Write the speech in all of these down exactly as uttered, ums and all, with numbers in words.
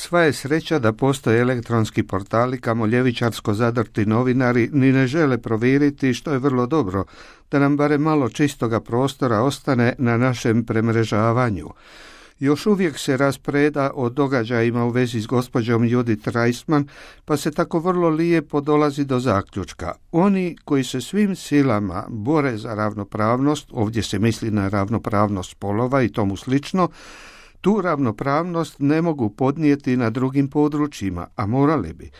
Sva je sreća da postoje elektronski portali kamo ljevičarsko zadrti novinari ni ne žele provjeriti, što je vrlo dobro, da nam barem malo čistoga prostora ostane na našem premrežavanju. Još uvijek se raspreda o događajima u vezi s gospođom Judith Reisman, pa se tako vrlo lijepo dolazi do zaključka. Oni koji se svim silama bore za ravnopravnost, ovdje se misli na ravnopravnost spolova i tomu slično, tu ravnopravnost ne mogu podnijeti na drugim područjima, a morali bi.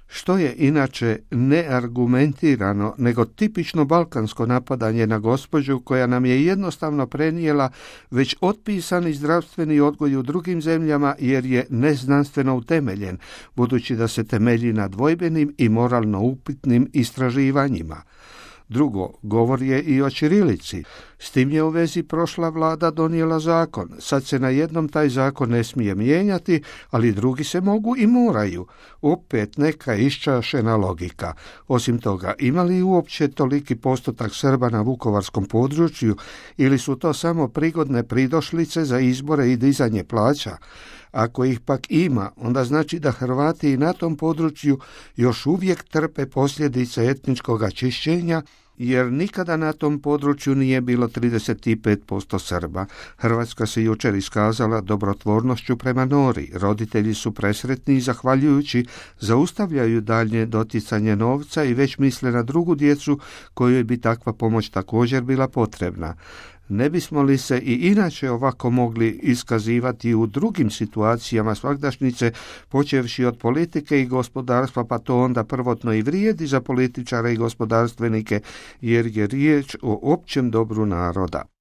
Što je inače neargumentirano, nego tipično balkansko napadanje na gospođu koja nam je jednostavno prenijela već otpisani zdravstveni odgoj u drugim zemljama jer je neznanstveno utemeljen, budući da se temelji na dvojbenim i moralno upitnim istraživanjima. Drugo, govor je i o ćirilici. S tim je u vezi prošla vlada donijela zakon. Sad se na jednom taj zakon ne smije mijenjati, ali drugi se mogu i moraju. Opet neka iščašena logika. Osim toga, ima li uopće toliki postotak Srba na vukovarskom području ili su to samo prigodne pridošlice za izbore i dizanje plaća? Ako ih pak ima, onda znači da Hrvati i na tom području još uvijek trpe posljedice etničkog čišćenja, jer nikada na tom području nije bilo trideset pet posto Srba. Hrvatska se jučer iskazala dobrotvornošću prema Nori. Roditelji su presretni i zahvaljujući zaustavljaju daljnje doticanje novca i već misle na drugu djecu kojoj bi takva pomoć također bila potrebna. Ne bismo li se i inače ovako mogli iskazivati u drugim situacijama svagdašnjice, počevši od politike i gospodarstva, pa to onda prvotno i vrijedi za političare i gospodarstvenike, jer je riječ o općem dobru naroda.